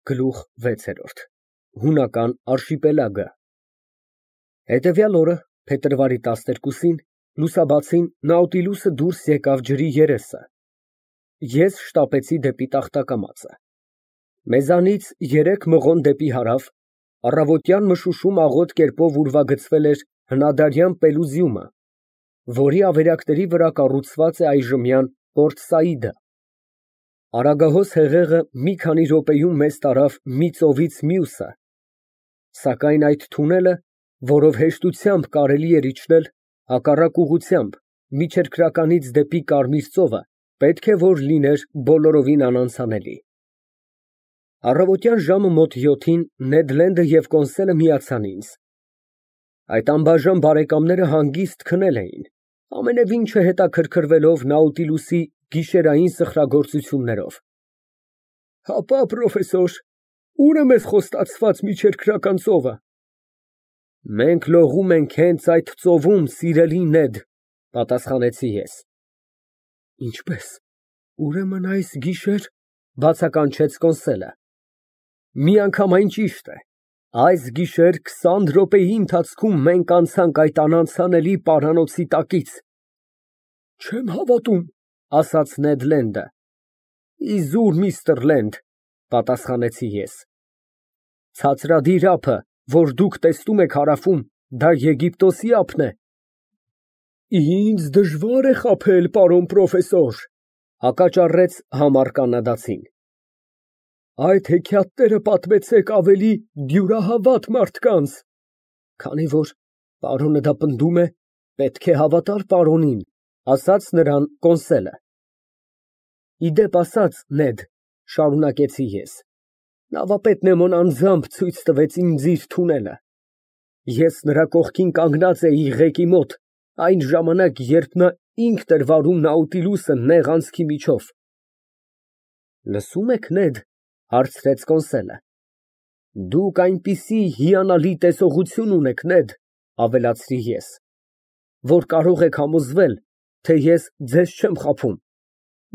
Գլուխ 6 Հունական արշիպելագը Հետևյալ օրը, փետրվարի 12-ին, լուսաբացին Նաուտիլուսը դուրս եկավ ջրի երեսը։ Ես շտապեցի դեպի տախտակամածը։ Մեզանից 3 մղոն դեպի հարավ, առավոտյան մշուշում աղոտ կերպով ուրվագծվել էր հնադարյան Պելուզիումը, որի ավերակների վրա կառուցված է այժմյան Պորտ Սաիդը։ Արագահոս հեղեղը մի քանի րոպեում մեզ տարավ մի ծովից մյուսը, սակայն այդ թունելը, որով հեշտությամբ կարելի էր իջնել, հակառակ ուղղությամբ, միջերկրականից դեպի Կարմիր ծովը, պետք է որ լիներ բոլորովին անանցանելի։ Առավոտյան ժամը մոտ 7-ին Նեդ Լենդը և Կոնսելը միացան ինձ։ Այդ անբաժան բարեկամները հանգիստ քնել էին, ամենևին չհետաքրքրվելով Նաուտիլուսի գիշերային սխրագործություններով։ Հապա, պրոֆեսոր, ո՞ւր է մեզ խոստացված միջերկրական ծովը։ Մենք լողում ենք հենց այդ ծովում, սիրելի Նեդ, պատասխանեցի ես։ Ինչպե՞ս, ուրեմն այս գիշեր, բացականչեց Կոնսելը։ Միանգամայն ճիշտ է, այս գիշեր 20 րոպեի ընթացքում մենք անցանք այդ անանցանելի պարանոցի տակից։ Չեմ հավատում, ասաց Նեդ Լենդը։ Իզուր, միստր Լենդ, պատասխանեցի ես։ Ցածրադիր ափը, որ դուք տեսնում եք հարավում, դա Եգիպտոսի ափն է։ Ինձ դժվար է խաբել, պարոն պրոֆեսոր, հակաճառեց համառ կանադացին։ Այդ հեքիաթները պատմեցեք ավելի դյուրահավատ մարդկանց, քանի որ պարոնը դա պնդում է, պետք է հավատալ պարոնին, ասաց նրան Կոնսելը։ Իդեպ ասած, Նեդ, շարունակեցի ես, նավապետ Նեմոն անձամբ ցույց տվեց ինձ իր թունելը։ Ես նրա կողքին կանգնած էի ղեկի մոտ, այն ժամանակ, երբ նա ինքն էր վարում Նաուտիլուսը նեղ անցքի միջով։ Լսո՞ւմ եք, Նեդ, հարցրեց Կոնսելը։ Դուք այնպիսի հիանալի տեսողություն ունեք, Նեդ, ավելացրի ես, որ կարող եք համոզվել, թե ես ձեզ չեմ խաբում։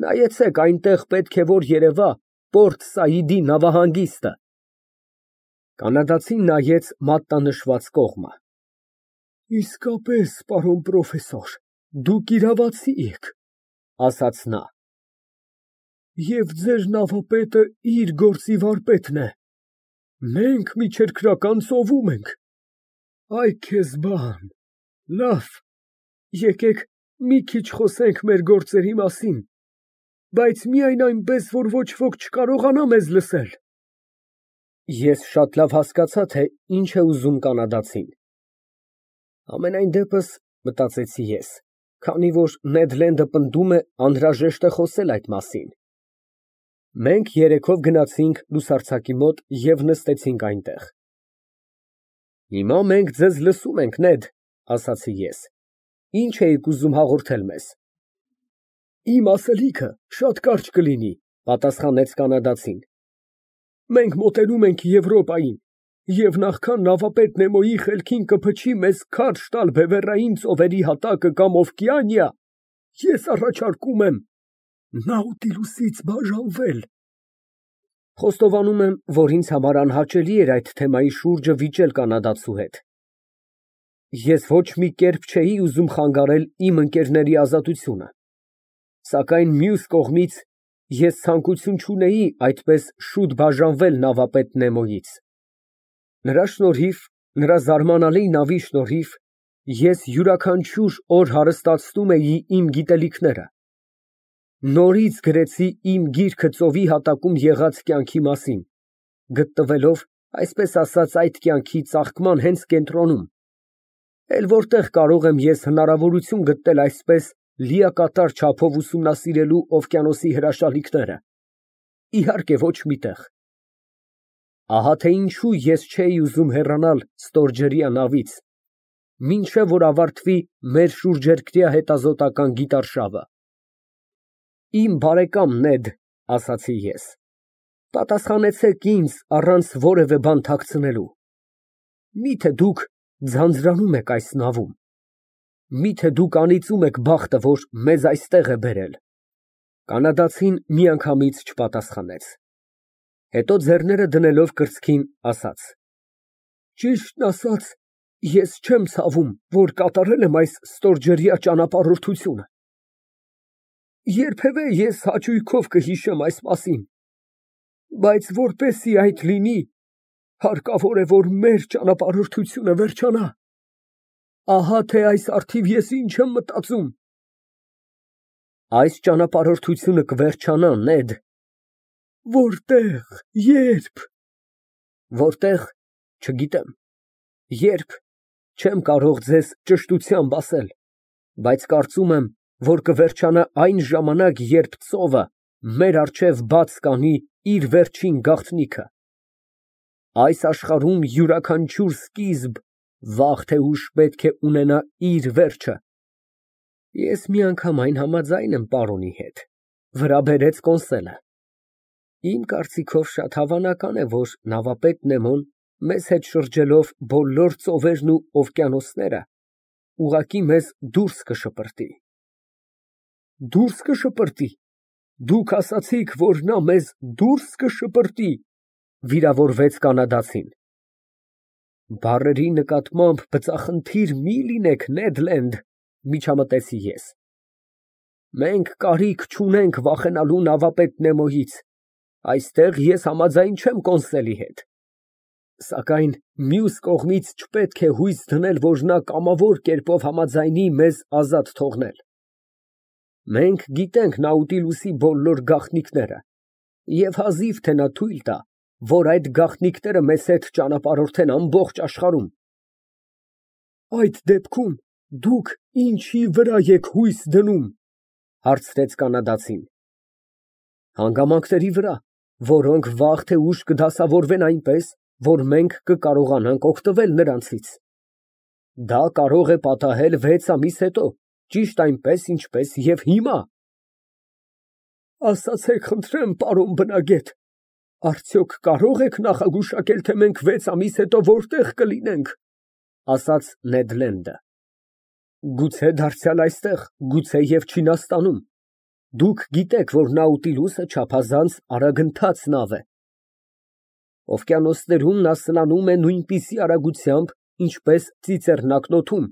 Նայեցեք, այնտեղ պետք է որ երևա Պորտ Սաիդի նավահանգիստը։ Կանադացին նայեց մատնանշված կողմը։ Իսկապես, պարոն պրոֆեսոր, դուք իրավացի եք, ասաց նա։ Եվ ձեր նավապետը իր գործի վարպետն է։ Մենք միջերկրական ծովում ենք։ Այ քեզ բան, լավ, եկեք մի քիչ խոսենք մեր գործերի մասին, բայց միայն այնպես, որ ոչ ոք չկարողանա մեզ լսել։ Ես շատ լավ հասկացա, թե ինչ է ուզում կանադացին։ Համենայն դեպս, մտածեցի ես, քանի որ Նեդ Լենդը պնդում է, անհրաժեշտ է խոսել այդ մասին։ Մենք երեքով գնացինք լուսարձակի մոտ և նստեցինք այնտեղ։ Հիմա մենք ձեզ լսում ենք, Նեդ, ասացի ես։ Ինչ էիք ուզում հաղորդել մեզ։ Իմ ասելիքը շատ կարճ կլինի, պատասխանեց կանադացին։ Մենք մոտենում ենք Եվրոպային, և նախքան նավապետ Նեմոյի խելքին կփչի մեզ քարշ տալ բևեռային ծովերի հատակը կամ օվկիանիա, ես առաջարկում եմ Նաուտիլուսից բաժանվել։ Խոստովանում եմ, որ ինձ համար անհաճելի էր այդ թեմայի շուրջը վիճել կանադացու հետ։ Ես ոչ մի կերպ չէի ուզում խանգարել իմ ընկերների ազատությունը, սակայն մյուս կողմից ես ցանկություն չունեի այդպես շուտ բաժանվել նավապետ Նեմոյից։ Նրա շնորհիվ, նրա զարմանալի նավի շնորհիվ, ես յուրաքանչյուր օր հարստացնում էի իմ գիտելիքները։ Նորից գրեցի իմ գիրքը ծովի հատակում եղած կյանքի մասին, գտնվելով, այսպես ասած, այդ կյանքի ծաղկման հենց կենտրոնում, էլ որտեղ կարող եմ ես հնարավորություն գտնել այսպես լիակատար չափով ուսումնասիրելու օվկիանոսի հրաշալիքները։ Իհարկե, ոչ միտեղ։ Ահա թե ինչու ես չէի ուզում հեռանալ ստորջրյա նավից, մինչև որ ավարտվի մեր շուրջերկրյա հետազոտական գիտարշավը։ Իմ բարեկամ Նեդ, ասացի ես, պատասխանեցեք ինձ առանց որևէ բան թաքցնելու։ Միթե դուք ձանձրանում եք այս նավում։ Միթե դուք անիծում եք բախտը, որ մեզ այստեղ է բերել։ Կանադացին միանգամից չպատասխանեց։ Հետո ձեռները դնելով կրծքին, ասաց. Ճիշտն ասած, ես չեմ ցավում, որ կատարել եմ այս ստորջրյա ճանապարհորդությունը։ Երբևէ ես հաճույքով կհիշեմ այս մասին, բայց որպեսզի այդ լինի, հարկավոր է, որ մեր ճանապարհորդությունը վերջանա։ Ահա թե այս առթիվ ես ինչ եմ մտածում։ Այս ճանապարհորդությունը կվերջանա, Նեդ։ Որտեղ, երբ։ Որտեղ, չգիտեմ։ Երբ, չեմ կարող ձեզ ճշտությամբ ասել, բայց կարծում եմ, որ կվերջանա այն ժամանակ, երբ ծովը մեր առջև բաց կանի իր վերջին գաղտնիքը։ Այս աշխարհում յուրաքանչյուր սկիզբ վաղ թե ուշ պետք է ունենա իր վերջը։ Ես միանգամայն համաձայն եմ պարոնի հետ, վրա բերեց Կոնսելը։ Իմ կարծիքով շատ հավանական է, որ նավապետ Նեմոն մեզ հետ շրջելով բոլոր ծովերն ու օվկիանոսները, ուղղակի մեզ դուրս կշպրտի։ Դուրս կշպրտի։ Դուք ասացիք, որ նա մեզ դուրս կշպրտի, վիրավորվեց կանադացին։ Բառերի նկատմամբ բծախնդիր մի լինեք, Նեդ Լենդ, միջամտեցի ես։ Մենք կարիք չունենք վախենալու նավապետ Նեմոյից, այստեղ ես համաձայն չեմ Կոնսելի հետ։ Սակայն մյուս կողմից չպետք է հույս դնել, որ նա կամավոր կերպով համաձայնի մեզ ազատ թողնել։ Մենք գիտենք Նաուտիլուսի բոլոր գաղտնիքները, և հազիվ թե նա թույլ տա, որ այդ գաղտնիքները մեզ հետ ճանապարհորդեն ամբողջ աշխարհում։ Այդ դեպքում դուք ինչի վրա եք հույս դնում, հարցրեց կանադացին։ Հանգամանքների վրա, որոնք վաղ թե ուշ կդասավորվեն այնպես, որ մենք կկարողանանք օգտվել նրանցից։ Դա կարող է պատահել 6 ամիս հետո, ճիշտ այնպես, ինչպես և հիմա։ Ասացեք, խնդրեմ, պարոն բնագետ, արդյոք կարող եք նախագուշակել, թե մենք 6 ամիս հետո որտեղ կլինենք, ասաց Նեդ Լենդը։ Գուցե դարձյալ այստեղ, գուցե և Չինաստանում։ Դուք գիտեք, որ Նաուտիլուսը չափազանց արագընթաց նավ է։ Օվկիանոսներում նա սլանում է նույնպիսի արագությամբ, ինչպես ծիծեռնակն օդում,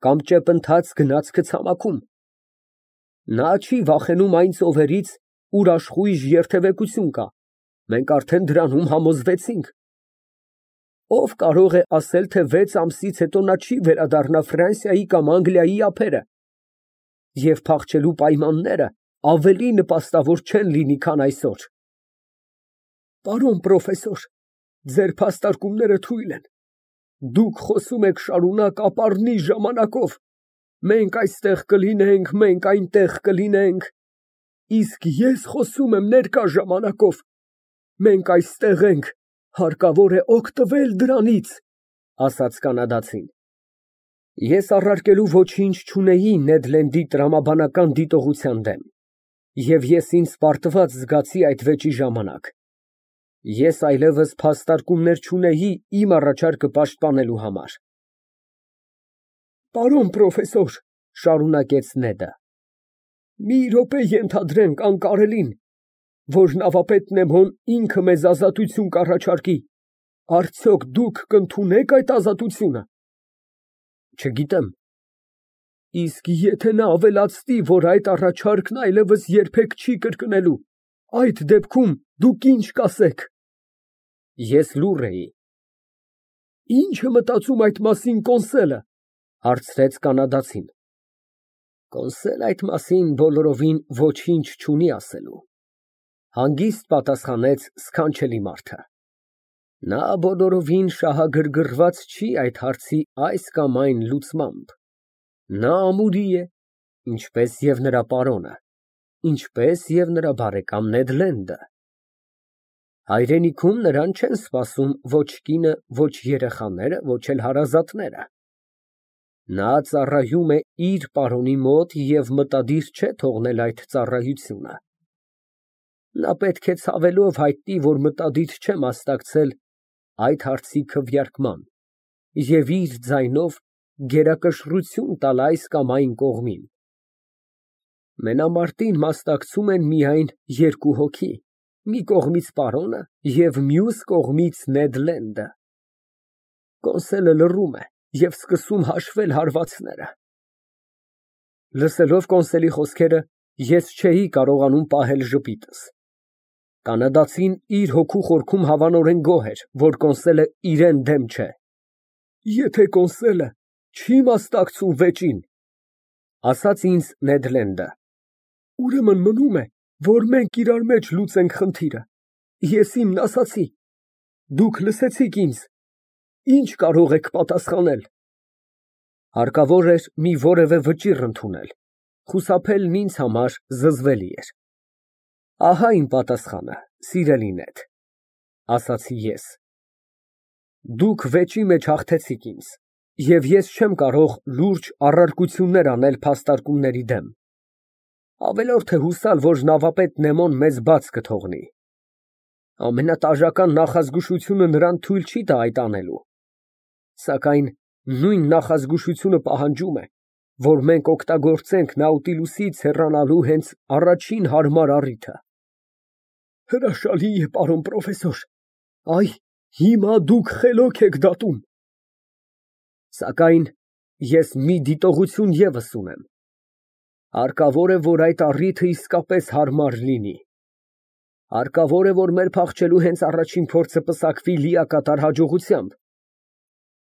կամ ճեպընթաց գնացքը ցամաքում։ Նա չի վախենում այն ծովերից, ուր աշխույժ երթևեկություն կա, մենք արդեն դրանում համոզվեցինք։ Ով կարող է ասել, թե 6 ամսից հետո նա չի վերադառնա Ֆրանսիայի կամ Անգլիայի ափերը, և փախչելու պայմանները ավելի նպաստավոր չեն լինի, քան այսօր։ Պարոն պրոֆեսոր, ձեր փաստարկումները թույլ են։ Դուք խոսում եք շարունակ ապառնի ժամանակով։ Մենք այստեղ կլինենք, մենք այնտեղ կլինենք։ Իսկ ես խոսում եմ ներկա ժամանակով։ Մենք այստեղ ենք, հարկավոր է օգտվել դրանից, ասաց կանադացին։ Ես առարկելու ոչինչ չունեի Նեդ Լենդի տրամաբանական դիտողության դեմ, և ես ինձ պարտված զգացի այդ վեճի ժամանակ։ Ես այլևս փաստարկումներ չունեի իմ առաջարկը պաշտպանելու համար։ Պարոն պրոֆեսոր, շարունակեց Նեդը, մի րոպե ենթադրենք անկարելին, որ նավապետ Նեմոն ինքը մեզ ազատություն կառաջարկի, արդյոք դուք կընդունեք այդ ազատությունը։ Չգիտեմ։ Իսկ եթե նա ավելացնի, որ այդ առաջարկն այլևս երբեք չի կրկնելու, այդ դեպքում դուք ինչ կասեք։ Ես լուռ էի։ Ինչ է մտածում այդ մասին Կոնսելը, հարցրեց կանադացին։ Կոնսել այդ մասին բոլորովին ոչինչ չունի ասելու, հանգիստ պատասխանեց սքանչելի մարդը։ Նա բոլորովին շահագրգռված չի այդ հարցի այս կամ այն լուծմամբ։ Նա ամուրի է, ինչպես և նրա պարոնը, ինչպես և նրա բարեկամ Նեդ Լենդը։ Հայրենիքում նրան չեն սպասում ոչ կինը, ոչ երեխաները, ոչ էլ հարազատները։ Նա ծառայում է իր պարոնի մոտ և մտադիր չէ թողնել այդ ծառայությունը։ Նա պետք է ցավելով հայտնի, որ մտադիր չէ մասնակցել այդ հարցի քվեարկման և իր ձայնով գերակշռություն տալ այս կամ այն կողմին։ Մենամարտին մասնակցում են միայն 2 հոգի, մի կողմից պարոնը և մյուս կողմից Նեդ Լենդը։ Կոնսոլը լռում է և սկսում հաշվել հարվածները։ Լսելով Կոնսոլի խոսքերը, ես չէի կարողանում պահել ժպիտս։ Կանադացին իր հոգու խորքում հավանորեն գոհ էր, որ Կոնսոլը իրեն դեմ չէ։ Եթե Կոնսոլը չի մասնակցում վեճին, ասաց ինձ Նեդ Լենդը, ուրեմն մնում է, որ մենք իրար մեջ լուծենք խնդիրը։ Ես իմն ասացի, դուք լսեցիք ինձ, ինչ կարող եք պատասխանել։ Հարկավոր էր մի որևէ վճիռ ընդունել, խուսափելն ինձ համար զզվելի էր։ Ահա իմ պատասխանը, սիրելի Նեդ, ասացի ես։ Դուք վեճի մեջ հաղթեցիք ինձ, և ես չեմ կարող լուրջ առարկություններ անել փաստարկումների դեմ։ Ավելորդ է հուսալ, որ նավապետ Նեմոն մեզ բաց կթողնի։ Ամենատաժական նախազգուշությունը նրան թույլ չի տա այդ անելու։ Սակայն նույն նախազգուշությունը պահանջում է, որ մենք օգտագործենք Նաուտիլուսից հեռանալու հենց առաջին հարմար առիթը։ Հրաշալի է, պարոն պրոֆեսոր, այ հիմա դուք խելոք եք դատում։ Սակայն ես մի դիտողություն ևս ունեմ։ Հարկավոր է, որ այդ առիթը իսկապես հարմար լինի։ Հարկավոր է, որ մեր փախչելու հենց առաջին փորձը պսակվի լիակատար հաջողությամբ։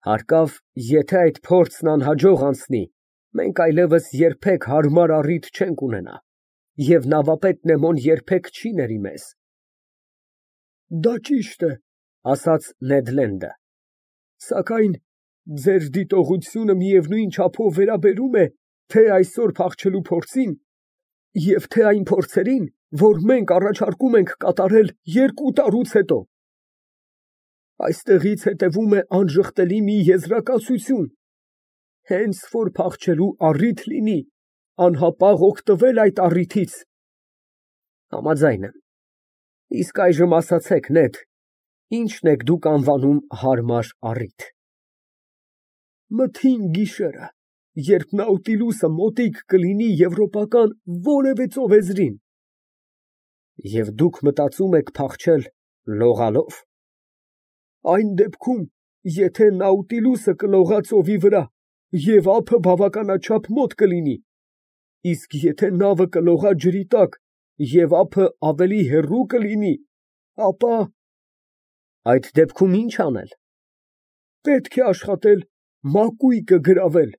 Հարկավ, եթե այդ փորձն անհաջող անցնի, մենք այլևս երբեք հարմար առիթ չենք ունենա, և նավապետ Նեմոն երբեք չի ների մեզ։ Դա ճիշտ է, ասաց Նեդ Լենդը, սակայն ձեր դիտողությունը միևնույն չափով վերաբերում է թե այսօր փախչելու փորձին և թե այն փորձերին, որ մենք առաջարկում ենք կատարել 2 տարուց հետո։ Այստեղից հետևում է անժխտելի մի եզրակացություն. հենց որ փախչելու առիթ լինի, անհապաղ օգտվել այդ առիթից։ Համաձայն եմ։ Իսկ այժմ ասացեք, Նեդ, ի՞նչն եք դուք անվանում հարմար առիթ։ Մթին գիշերը, երբ Նաուտիլուսը մոտիկ կլինի եվրոպական որևէ ծովեզրին։ Եվ դուք մտածում եք փախչել լողալով։ Այն դեպքում, եթե Նաուտիլուսը կլողա ծովի վրա, և ափը բավականաչափ մոտ կլինի, իսկ եթե նավը կլողա ջրի տակ, և ափը ավելի հեռու կլինի, ապա… Այդ դեպքում ի՞նչ անել։ Պետք է աշխատել մակույկը գրավել։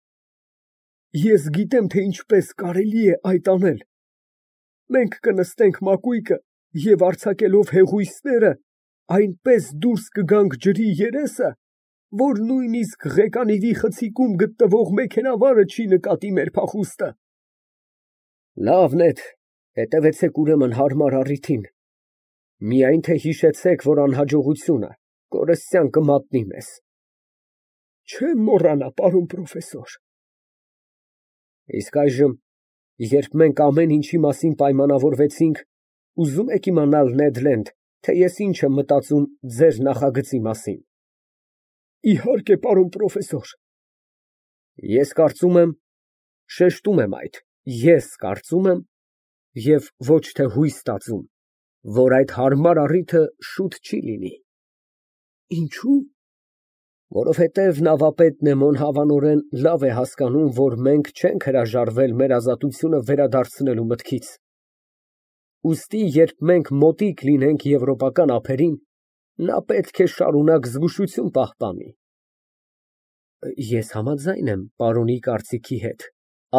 Ես գիտեմ, թե ինչպես կարելի է այդ անել։ Մենք կնստենք մակույկը և արձակելով հեղուիսները, այնպես դուրս կգանք ջրի երեսը, որ նույնիսկ Ղեկանիվի խցիկում գտնվող մեքենավարը չի նկատի մեր փախուստը։ Լավ, Նեդ, հետևեցեք ուրեմն հարմար առիթին։ Միայն թե հիշեցեք, որ անհաջողությունը կորստյան կմատնի մեզ։ Չեմ մոռանա, պարոն պրոֆեսոր։ Իսկ այժմ, երբ մենք ամեն ինչի մասին պայմանավորվեցինք, ուզում եք իմանալ, Նեդ Լենդ, թե ես ինչ եմ մտածում ձեր նախագծի մասին։ Իհարկե, պարոն պրոֆեսոր։ Ես կարծում եմ, շեշտում եմ այդ, ես կարծում եմ, և ոչ թե հույս ստացում, որ այդ հարմար առիթը շուտ չի լինի։ Ինչո՞ւ։ Որովհետև նավապետ Նեմոն հավանորեն լավ է հասկանում, որ մենք չենք հրաժարվել մեր ազատությունը վերադարձնելու մտքից։ Ուստի, երբ մենք մոտիկ լինենք եվրոպական ափերին, նա պետք է շարունակ զգուշություն պահպանի։ Ես համաձայն եմ պարոնի կարծիքի հետ,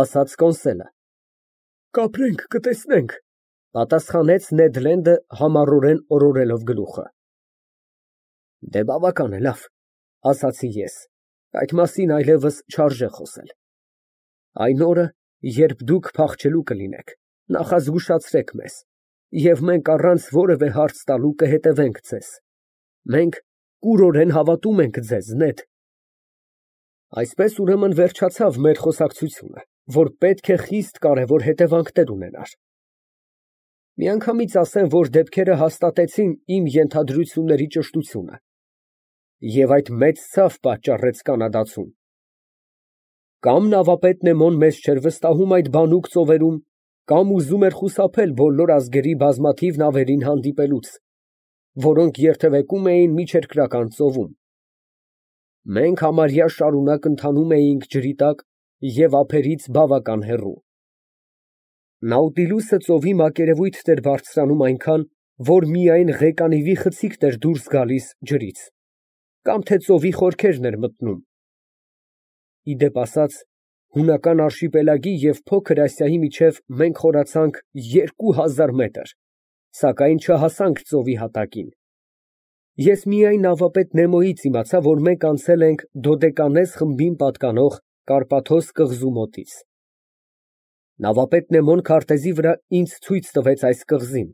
ասաց Կոնսոլը։ Կապրենք, կտեսնենք, պատասխանեց Նեդ Լենդը համառորեն օրորելով գլուխը։ Դե բավական է, լավ, ասացի ես, այդ մասին այլևս չարժե խոսել։ Այն օրը, երբ դուք փախչելու կլինեք, նախազգուշացրեք մեզ, և մենք առանց որևէ հարց տալու կհետևենք ձեզ։ Մենք կուրորեն հավատում ենք ձեզ, Նեդ։ Այսպես ուրեմն վերջացավ մեր խոսակցությունը, որ պետք է խիստ կարևոր հետևանքներ ունենար։ Միանգամից ասեմ, որ դեպքերը հաստատեցին իմ ենթադրությունների ճշտությունը, և այդ մեծ ցավ պատճառեց կանադացուն։ Կամ նավապետ Նեմոն մեզ չէր վստահում այդ բանուկ ծովերում, կամ ուզում էր խուսափել բոլոր ազգերի բազմաթիվ նավերին հանդիպելուց, որոնք երթևեկում էին միջերկրական ծովում։ Մենք համարյա շարունակ ընթանում էինք ջրի տակ և ափերից բավական հեռու։ Նաուտիլուսը ծովի մակերևույթ էր բարձրանում այնքան, որ միայն ղեկանիվի խցիկն էր դուրս գալիս ջրից, կամ թե ծովի խորքերն էր մտնում։ Ի դեպ ասած, հունական արշիպելագի և Փոքր Ասիայի միջև մենք խորացանք 2000 մետր, սակայն չհասանք ծովի հատակին։ Ես միայն նավապետ Նեմոյից իմացա, որ մենք անցել ենք Դոդեկանես խմբին պատկանող Կարպաթոս կղզու մոտից։ Նավապետ Նեմոն քարտեզի վրա ինձ ցույց տվեց այս կղզին,